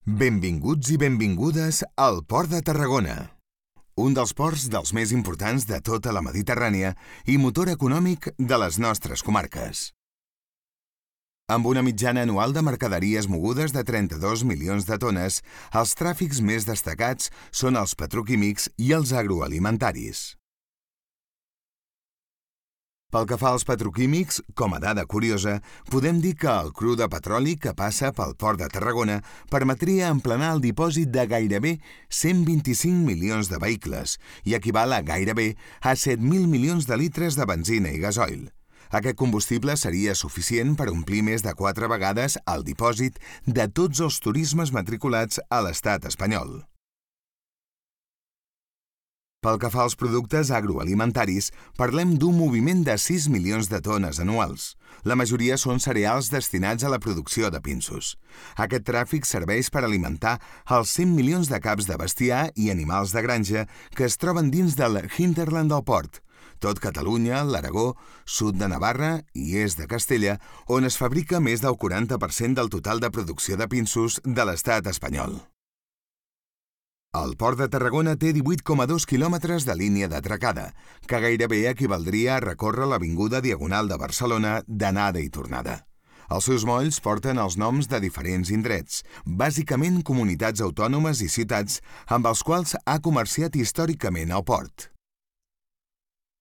Benvinguts i benvingudes al Port de Tarragona, un dels ports dels més importants de tota la Mediterrània i motor econòmic de les nostres comarques. Amb una mitjana anual de mercaderies mogudes de 32 milions de tones, els tràfics més destacats són els petroquímics i els agroalimentaris. Pel que fa als petroquímics, com a dada curiosa, podem dir que el cru de petroli que passa pel Port de Tarragona permetria emplenar el dipòsit de gairebé 125 milions de vehicles i equival a gairebé a 7.000 milions de litres de benzina i gasoil. Aquest combustible seria suficient per omplir més de 4 vegades el dipòsit de tots els turismes matriculats a l'estat espanyol. Pel que fa als productes agroalimentaris, parlem d'un moviment de 6 milions de tones anuals. La majoria són cereals destinats a la producció de pinsos. Aquest tràfic serveix per alimentar els 100 milions de caps de bestiar i animals de granja que es troben dins del hinterland del port, tot Catalunya, l'Aragó, sud de Navarra i est de Castella, on es fabrica més del 40% del total de producció de pinsos de l'estat espanyol. El Port de Tarragona té 18,2 quilòmetres de línia d'atracada, que gairebé equivaldria a recórrer l'avinguda Diagonal de Barcelona d'anada i tornada. Els seus molls porten els noms de diferents indrets, bàsicament comunitats autònomes i ciutats amb els quals ha comerciat històricament el port.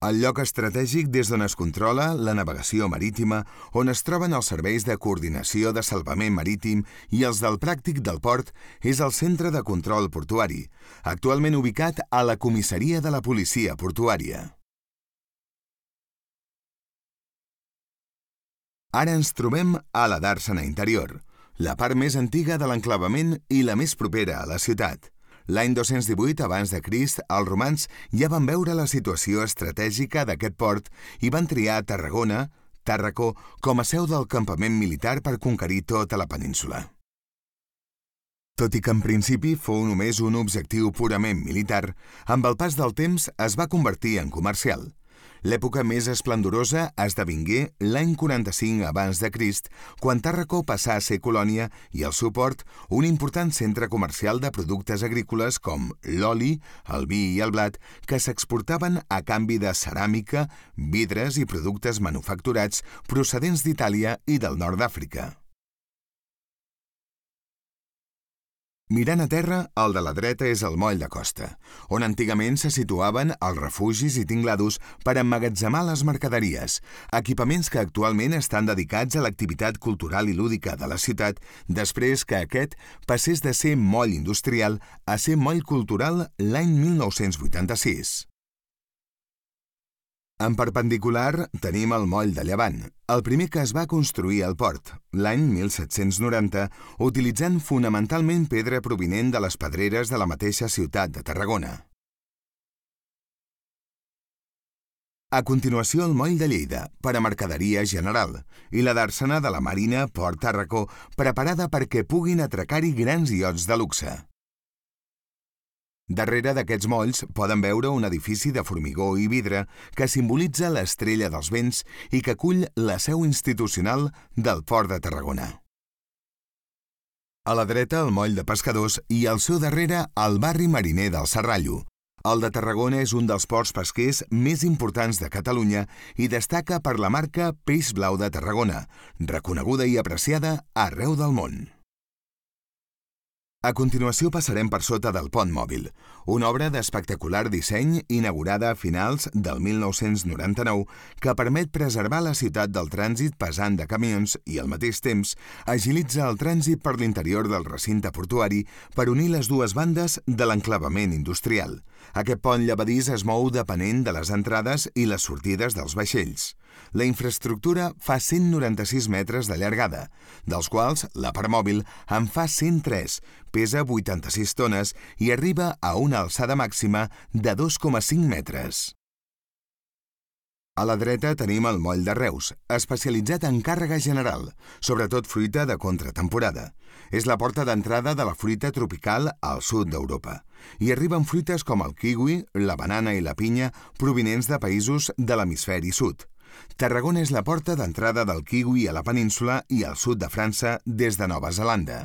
El lloc estratègic des d'on es controla la navegació marítima, on es troben els serveis de coordinació de salvament marítim i els del pràctic del port, és el centre de control portuari, actualment ubicat a la comissaria de la policia portuària. Ara ens trobem a la Dàrsena Interior, la part més antiga de l'enclavament i la més propera a la ciutat. L'any 218 abans de Crist, els romans ja van veure la situació estratègica d'aquest port i van triar Tarragona, Tàrraco, com a seu del campament militar per conquerir tota la península. Tot i que en principi fou només un objectiu purament militar, amb el pas del temps es va convertir en comercial. L'època més esplendorosa esdevingué l'any 45 abans de Crist, quan Tàrraco passà a ser colònia i el seu port un important centre comercial de productes agrícoles com l'oli, el vi i el blat, que s'exportaven a canvi de ceràmica, vidres i productes manufacturats procedents d'Itàlia i del nord d'Àfrica. Mirant a terra, el de la dreta és el moll de costa, on antigament se situaven els refugis i tinglados per emmagatzemar les mercaderies, equipaments que actualment estan dedicats a l'activitat cultural i lúdica de la ciutat després que aquest passés de ser moll industrial a ser moll cultural l'any 1986. En perpendicular tenim el moll de Llevant, el primer que es va construir al port, l'any 1790, utilitzant fonamentalment pedra provinent de les pedreres de la mateixa ciutat de Tarragona. A continuació el moll de Lleida, per a mercaderia general, i la Dàrsena de la Marina Port Tàrraco, preparada perquè puguin atracar-hi grans iots de luxe. Darrere d'aquests molls poden veure un edifici de formigó i vidre que simbolitza l'estrella dels vents i que acull la seu institucional del Port de Tarragona. A la dreta el moll de pescadors i al seu darrere el barri mariner del Serrallo. El de Tarragona és un dels ports pesquers més importants de Catalunya i destaca per la marca Peix Blau de Tarragona, reconeguda i apreciada arreu del món. A continuació passarem per sota del Pont Mòbil, una obra d'espectacular disseny inaugurada a finals del 1999 que permet preservar la ciutat del trànsit pesant de camions i, al mateix temps, agilitza el trànsit per l'interior del recinte portuari per unir les dues bandes de l'enclavament industrial. Aquest pont llevadís es mou depenent de les entrades i les sortides dels vaixells. La infraestructura fa 196 metres de llargada, dels quals la part mòbil en fa 103, pesa 86 tones i arriba a una alçada màxima de 2,5 metres. A la dreta tenim el moll de Reus, especialitzat en càrrega general, sobretot fruita de contratemporada. És la porta d'entrada de la fruita tropical al sud d'Europa. Hi arriben fruites com el kiwi, la banana i la pinya provinents de països de l'hemisferi sud. Tarragona és la porta d'entrada del kiwi a la península i al sud de França des de Nova Zelanda.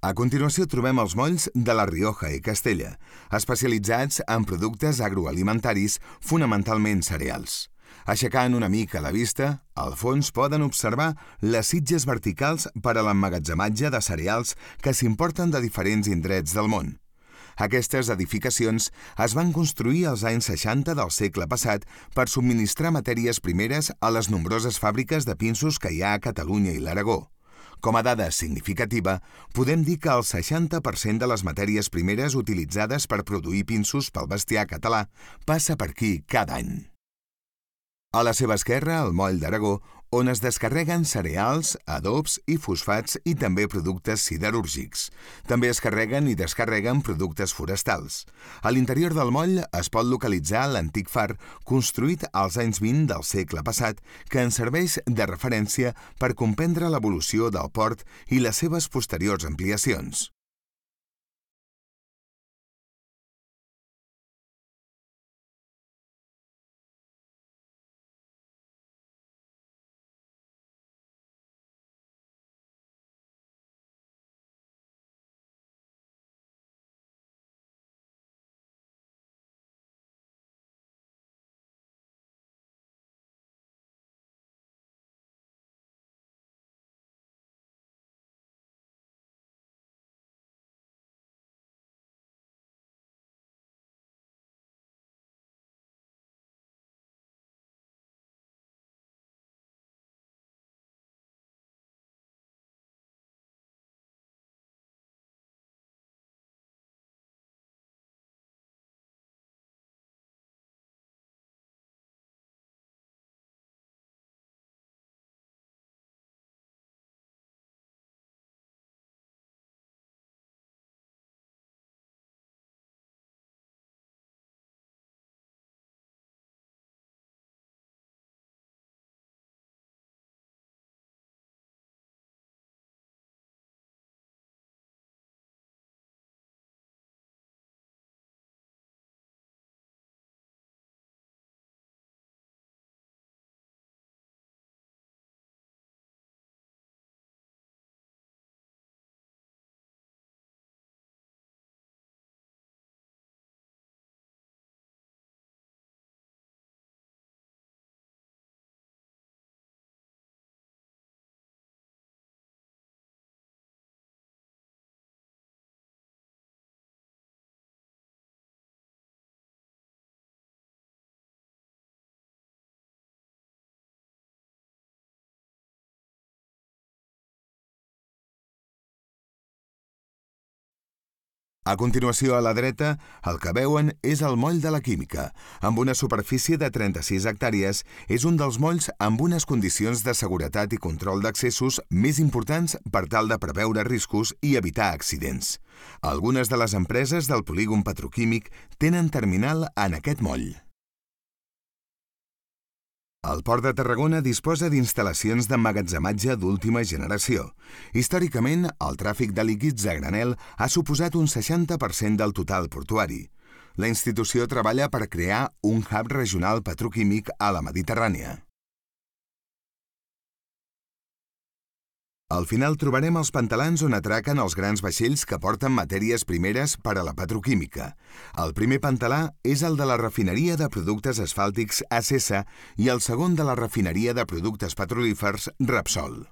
A continuació trobem els molls de La Rioja i Castella, especialitzats en productes agroalimentaris, fonamentalment cereals. Aixecant una mica la vista, al fons poden observar les sitges verticals per a l'emmagatzematge de cereals que s'importen de diferents indrets del món. Aquestes edificacions es van construir als anys 60 del segle passat per subministrar matèries primeres a les nombroses fàbriques de pinsos que hi ha a Catalunya i l'Aragó. Com a dada significativa, podem dir que el 60% de les matèries primeres utilitzades per produir pinsos pel bestiar català passa per aquí cada any. A la seva esquerra, el moll d'Aragó, on es descarreguen cereals, adobs i fosfats i també productes siderúrgics. També es carreguen i descarreguen productes forestals. A l'interior del moll es pot localitzar l'antic far construït als anys 20 del segle passat que ens serveix de referència per comprendre l'evolució del port i les seves posteriors ampliacions. A continuació, a la dreta, el que veuen és el moll de la Química. Amb una superfície de 36 hectàrees, és un dels molls amb unes condicions de seguretat i control d'accessos més importants per tal de preveure riscos i evitar accidents. Algunes de les empreses del polígon petroquímic tenen terminal en aquest moll. El Port de Tarragona disposa d'instal·lacions d'emmagatzematge d'última generació. Històricament, el tràfic de líquids a granel ha suposat un 60% del total portuari. La institució treballa per crear un hub regional petroquímic a la Mediterrània. Al final trobarem els pantalans on atraquen els grans vaixells que porten matèries primeres per a la petroquímica. El primer pantalà és el de la refineria de productes asfàltics Acesa i el segon de la refineria de productes petrolífers Repsol.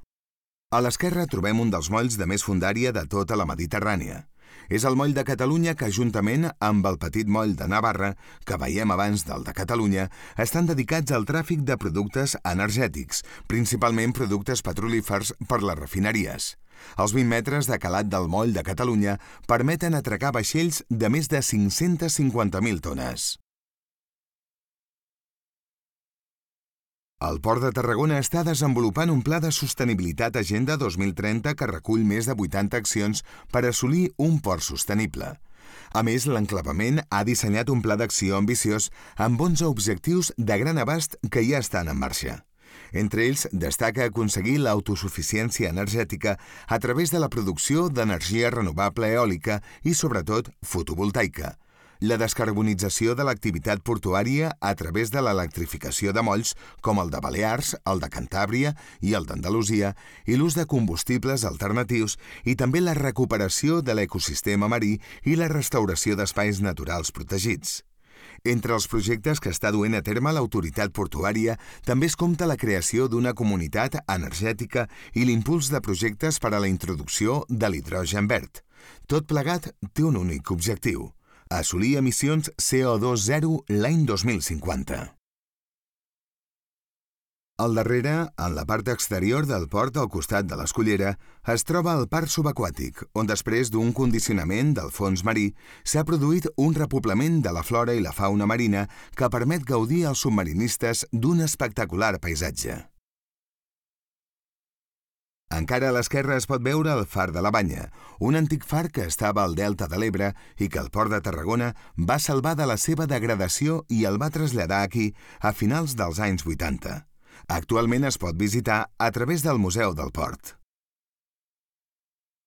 A l'esquerra trobem un dels molls de més fondària de tota la Mediterrània. És el moll de Catalunya que, juntament amb el petit moll de Navarra, que veiem abans del de Catalunya, estan dedicats al tràfic de productes energètics, principalment productes petrolífers per les refineries. Els 20 metres de calat del moll de Catalunya permeten atracar vaixells de més de 550.000 tones. El Port de Tarragona està desenvolupant un pla de sostenibilitat Agenda 2030 que recull més de 80 accions per assolir un port sostenible. A més, l'enclavament ha dissenyat un pla d'acció ambiciós amb 11 objectius de gran abast que ja estan en marxa. Entre ells, destaca aconseguir l'autosuficiència energètica a través de la producció d'energia renovable eòlica i, sobretot, fotovoltaica, la descarbonització de l'activitat portuària a través de l'electrificació de molls com el de Balears, el de Cantàbria i el d'Andalusia, i l'ús de combustibles alternatius i també la recuperació de l'ecosistema marí i la restauració d'espais naturals protegits. Entre els projectes que està duent a terme l'autoritat portuària també es compta la creació d'una comunitat energètica i l'impuls de projectes per a la introducció de l'hidrogen verd. Tot plegat té un únic objectiu: assolir emissions CO2 zero l'any 2050. Al darrere, en la part exterior del port al costat de l'Escullera, es troba el parc subaquàtic, on després d'un condicionament del fons marí s'ha produït un repoblament de la flora i la fauna marina que permet gaudir als submarinistes d'un espectacular paisatge. Encara a l'esquerra es pot veure el Far de la Banya, un antic far que estava al Delta de l'Ebre i que el Port de Tarragona va salvar de la seva degradació i el va traslladar aquí a finals dels anys 80. Actualment es pot visitar a través del Museu del Port.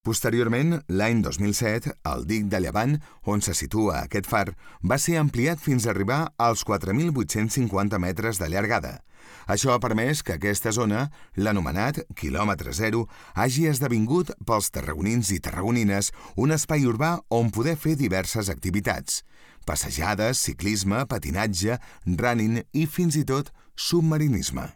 Posteriorment, l'any 2007, el dic de Llevant, on se situa aquest far, va ser ampliat fins a arribar als 4.850 metres de llargada. Això ha permès que aquesta zona, l'anomenat quilòmetre zero, hagi esdevingut pels tarragonins i tarragonines un espai urbà on poder fer diverses activitats: passejades, ciclisme, patinatge, running i fins i tot submarinisme.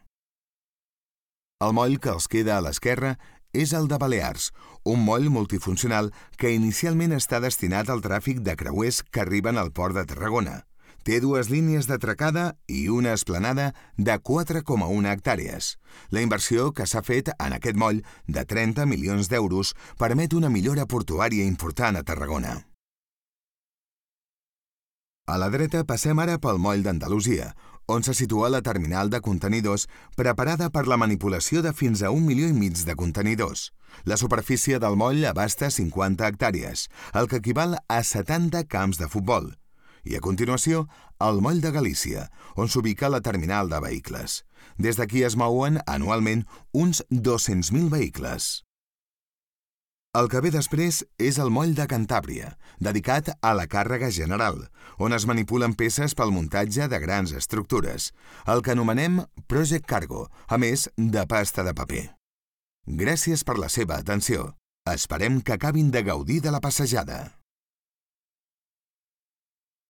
El moll que els queda a l'esquerra és el de Balears, un moll multifuncional que inicialment està destinat al tràfic de creuers que arriben al port de Tarragona. Té 2 línies d'atracada i una esplanada de 4,1 hectàrees. La inversió que s'ha fet en aquest moll, de 30 milions d'euros, permet una millora portuària important a Tarragona. A la dreta passem ara pel moll d'Andalusia, on se situa la terminal de contenidors preparada per la manipulació de fins a 1,5 milions de contenidors. La superfície del moll abasta 50 hectàrees, el que equival a 70 camps de futbol. I a continuació, el moll de Galícia, on s'ubica la terminal de vehicles. Des d'aquí es mouen anualment uns 200.000 vehicles. El que ve després és el moll de Cantàbria, dedicat a la càrrega general, on es manipulen peces pel muntatge de grans estructures, el que anomenem Project Cargo, a més de pasta de paper. Gràcies per la seva atenció. Esperem que acabin de gaudir de la passejada.